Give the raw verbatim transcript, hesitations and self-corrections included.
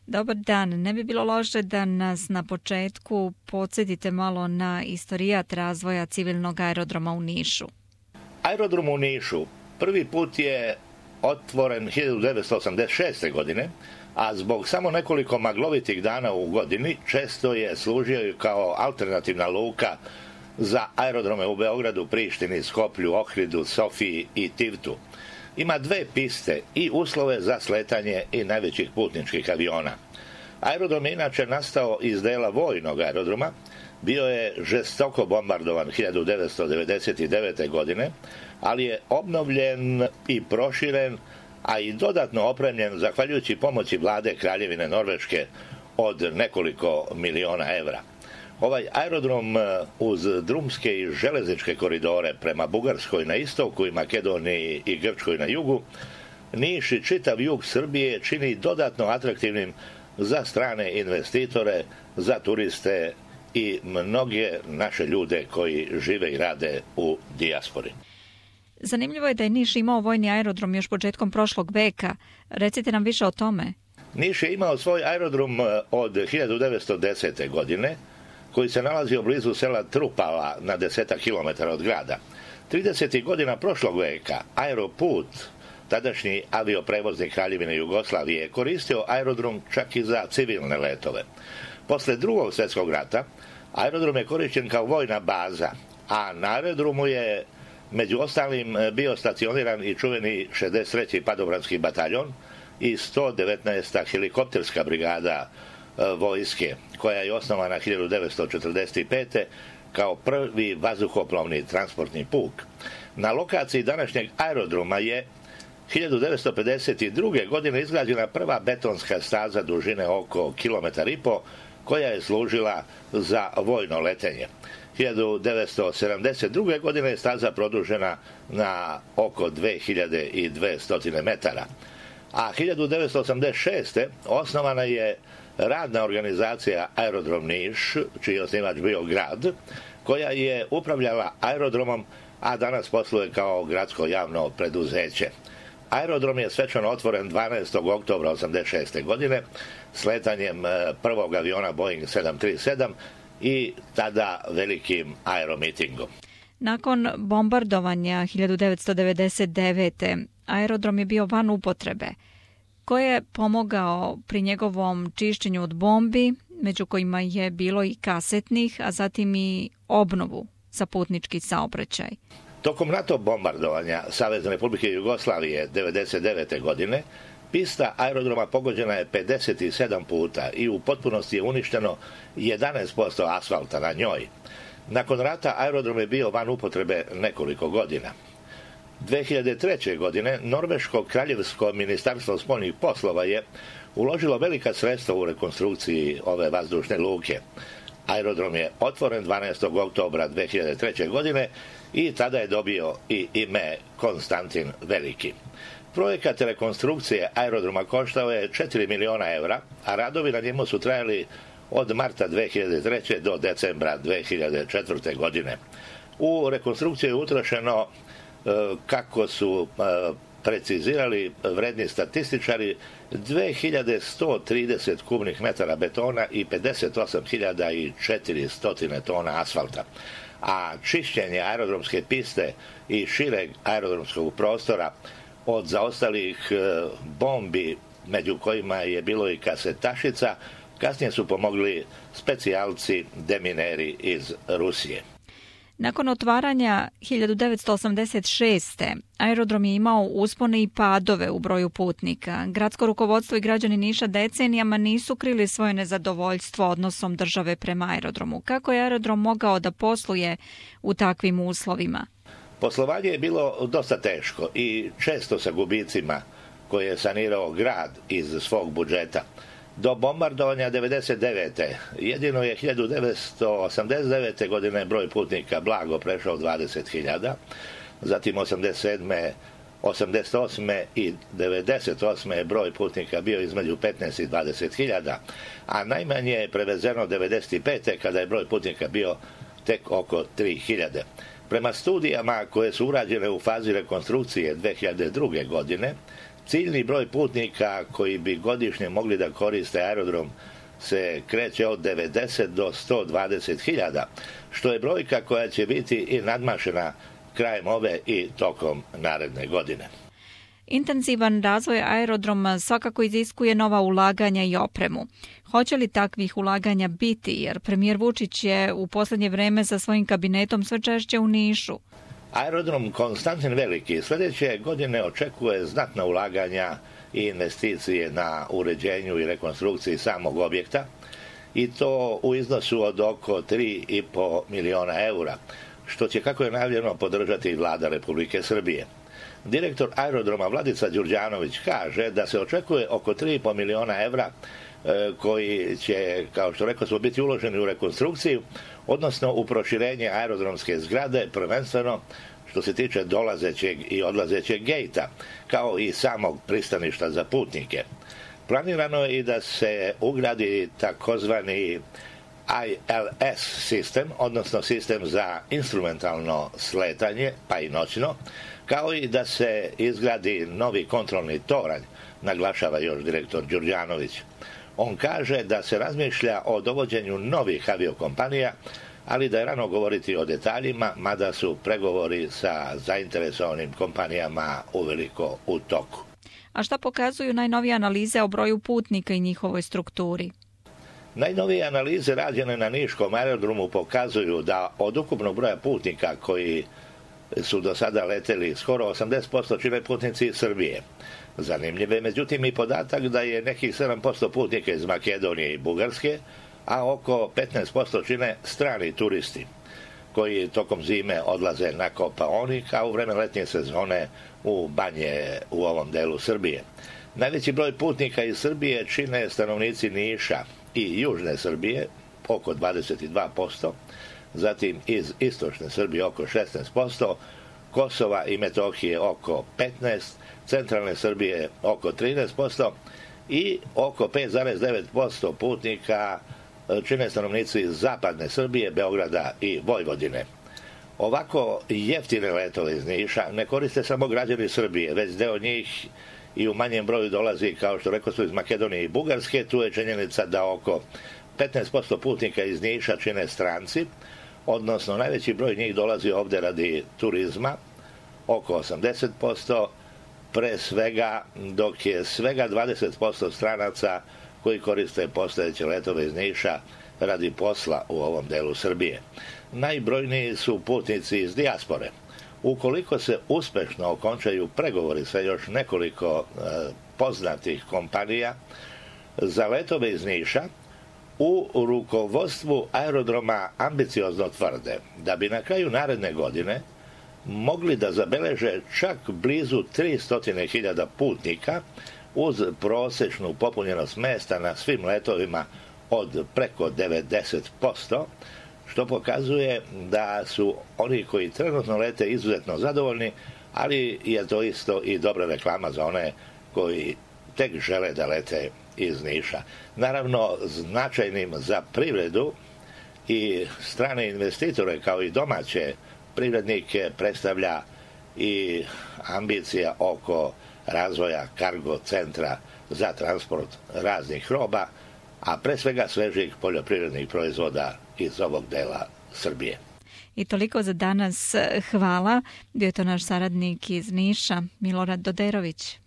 Dobar dan, ne bi bilo loše da nas na početku podsjetite malo na istorijat razvoja civilnog aerodroma u Nišu. Aerodrom u Nišu prvi put je otvoren hiljadu devetsto osamdeset šeste. godine, a zbog samo nekoliko maglovitih dana u godini često je služio kao alternativna luka za aerodrome u Beogradu, Prištini, Skoplju, Ohridu, Sofiji i Tivtu. Ima dve piste i uslove za sletanje i najvećih putničkih aviona. Aerodrom je inače nastao iz dela vojnog aerodroma, bio je žestoko bombardovan hiljadu devetsto devedeset devete. godine, ali je obnovljen i proširen, a i dodatno opremljen zahvaljujući pomoći vlade Kraljevine Norveške od nekoliko miliona evra. Ovaj aerodrom uz drumske i železničke koridore prema Bugarskoj na istoku i Makedoniji i Grčkoj na jugu, Niš i čitav jug Srbije čini dodatno atraktivnim za strane investitore, za turiste i mnoge naše ljude koji žive i rade u dijaspori. Zanimljivo je da je Niš imao vojni aerodrom još početkom prošlog veka. Recite nam više o tome. Niš je imao svoj aerodrom od hiljadu devetsto desete. godine, koji se nalazio blizu sela Trupala na desetak kilometara od grada. tridesetih godina prošlog veka Aeroput, tadašnji avioprevoznik Kraljevine Jugoslavije, je koristio aerodrom čak i za civilne letove. Posle drugog svjetskog rata aerodrom je korišten kao vojna baza, a na aerodromu je među ostalim bio stacioniran i čuveni šezdeset treći padobranski bataljon i sto devetnaesta helikopterska brigada vojske, koja je osnovana hiljadu devetsto četrdeset pete. kao prvi vazduhoplovni transportni puk. Na lokaciji današnjeg aerodroma je hiljadu devetsto pedeset druge. godine izgrađena prva betonska staza dužine oko kilometar i po, koja je služila za vojno letenje. hiljadu devetsto sedamdeset druge. godine je staza produžena na oko dve hiljade dvesta metara. A hiljadu devetsto osamdeset šeste. osnovana je radna organizacija Aerodrom Niš, čiji je osnivač bio grad, koja je upravljala aerodromom, a danas posluje kao gradsko javno preduzeće. Aerodrom je svečano otvoren dvanaestog oktobra osamdeset šeste. godine sletanjem prvog aviona Boeing sedam tri sedam i tada velikim aeromitingom. Nakon bombardovanja hiljadu devetsto devedeset devete. aerodrom je bio van upotrebe. Ko je pomogao pri njegovom čišćenju od bombi, među kojima je bilo i kasetnih, a zatim i obnovu za putnički saobraćaj? Tokom NATO bombardovanja Savezne Republike Jugoslavije devedeset devete. godine pista aerodroma pogođena je pedeset sedam puta i u potpunosti je uništeno jedanaest posto asfalta na njoj. Nakon rata aerodrom je bio van upotrebe nekoliko godina. dve hiljade treće. godine Norveško kraljevsko ministarstvo spoljnih poslova je uložilo velika sredstva u rekonstrukciji ove vazdušne luke. Aerodrom je otvoren dvanaestog oktobra dve hiljade treće. godine i tada je dobio i ime Konstantin Veliki. Projekat rekonstrukcije aerodroma koštao je četiri miliona evra, a radovi na njemu su trajali od marta dve hiljade treće. do decembra dve hiljade četvrte. godine. U rekonstrukciju je utrošeno, kako su precizirali vredni statističari, dve hiljade sto trideset kubnih metara betona i pedeset osam hiljada četiristo tona asfalta. A čišćenje aerodromske piste i šireg aerodromskog prostora od zaostalih bombi, među kojima je bilo i kasetašica, kasnije su pomogli specijalci demineri iz Rusije. Nakon otvaranja hiljadu devetsto osamdeset šeste. aerodrom je imao uspone i padove u broju putnika. Gradsko rukovodstvo i građani Niša decenijama nisu krili svoje nezadovoljstvo odnosom države prema aerodromu. Kako je aerodrom mogao da posluje u takvim uslovima? Poslovanje je bilo dosta teško i često sa gubicima koje je sanirao grad iz svog budžeta. Do bombardovanja devedeset devete. jedino je hiljadu devetsto osamdeset devete. godine broj putnika blago prešao dvadeset hiljada, zatim osamdeset sedme. osamdeset osme. i devedeset osme. je broj putnika bio između petnaest i dvadeset hiljada, a najmanje je prevezeno devedeset pete. kada je broj putnika bio tek oko tri hiljade. Prema studijama koje su urađene u fazi rekonstrukcije dve hiljade druge. godine, Ciljni broj putnika koji bi godišnje mogli da koriste aerodrom se kreće od devedeset do sto dvadeset hiljada, što je brojka koja će biti i nadmašena krajem ove i tokom naredne godine. Intenzivan razvoj aerodroma svakako iziskuje nova ulaganja i opremu. Hoće li takvih ulaganja biti, jer premijer Vučić je u posljednje vreme sa svojim kabinetom sve češće u Nišu? Aerodrom Konstantin Veliki sljedeće godine očekuje znatna ulaganja i investicije na uređenju i rekonstrukciji samog objekta, i to u iznosu od oko tri i po miliona eura, što će, kako je najavljeno, podržati i vlada Republike Srbije. Direktor aerodroma Vladica Đurđanović kaže da se očekuje oko tri i po miliona evra koji će, kao što rekao smo, biti uloženi u rekonstrukciju, odnosno u proširenje aerodromske zgrade, prvenstveno što se tiče dolazećeg i odlazećeg gejta, kao i samog pristaništa za putnike. Planirano je i da se ugradi takozvani I L S sistem, odnosno sistem za instrumentalno sletanje, pa i noćno, kao i da se izgradi novi kontrolni toranj, naglašava još direktor Đurđanović. On kaže da se razmišlja o dovođenju novih aviokompanija, ali da je rano govoriti o detaljima, mada su pregovori sa zainteresovanim kompanijama uveliko u toku. A šta pokazuju najnovije analize o broju putnika i njihovoj strukturi? Najnovije analize rađene na Niškom aerodromu pokazuju da od ukupnog broja putnika koji su do sada leteli, skoro osamdeset posto čine putnici iz Srbije. Zanimljiv je međutim i podatak da je nekih sedam posto putnika iz Makedonije i Bugarske, a oko petnaest posto čine strani turisti koji tokom zime odlaze na Kopaonik, a u vreme letnje sezone u banje u ovom delu Srbije. Najveći broj putnika iz Srbije čine stanovnici Niša i južne Srbije, oko dvadeset dva posto, zatim iz istočne Srbije oko šesnaest posto, Kosova i Metohije oko petnaest posto, centralne Srbije oko trinaest posto i oko pet zarez devet posto putnika čine stanovnici iz zapadne Srbije, Beograda i Vojvodine. Ovako jeftine letove iz Niša ne koriste samo građani Srbije, već deo njih i u manjem broju dolazi, kao što rekao su, iz Makedonije i Bugarske. Tu je činjenica da oko petnaest posto putnika iz Niša čine stranci, odnosno najveći broj njih dolazi ovde radi turizma, oko osamdeset posto, pre svega, dok je svega dvadeset posto stranaca koji koriste postojeće letove iz Niša radi posla u ovom delu Srbije. Najbrojniji su putnici iz dijaspore. Ukoliko se uspešno okončaju pregovori sa još nekoliko e, poznatih kompanija za letove iz Niša, u rukovodstvu aerodroma ambiciozno tvrde da bi na kraju naredne godine mogli da zabeleže čak blizu tristo hiljada putnika uz prosečnu popunjenost mesta na svim letovima od preko devedeset posto, što pokazuje da su oni koji trenutno lete izuzetno zadovoljni, ali je to isto i dobra reklama za one koji tek žele da lete iz Niša. Naravno, značajnim za privredu i strane investitore kao i domaće privrednike predstavlja i ambicija oko razvoja kargo centra za transport raznih roba, a pre svega svežih poljoprivrednih proizvoda iz ovog dela Srbije. I toliko za danas. Hvala. Bio je to naš saradnik iz Niša, Milorad Doderović.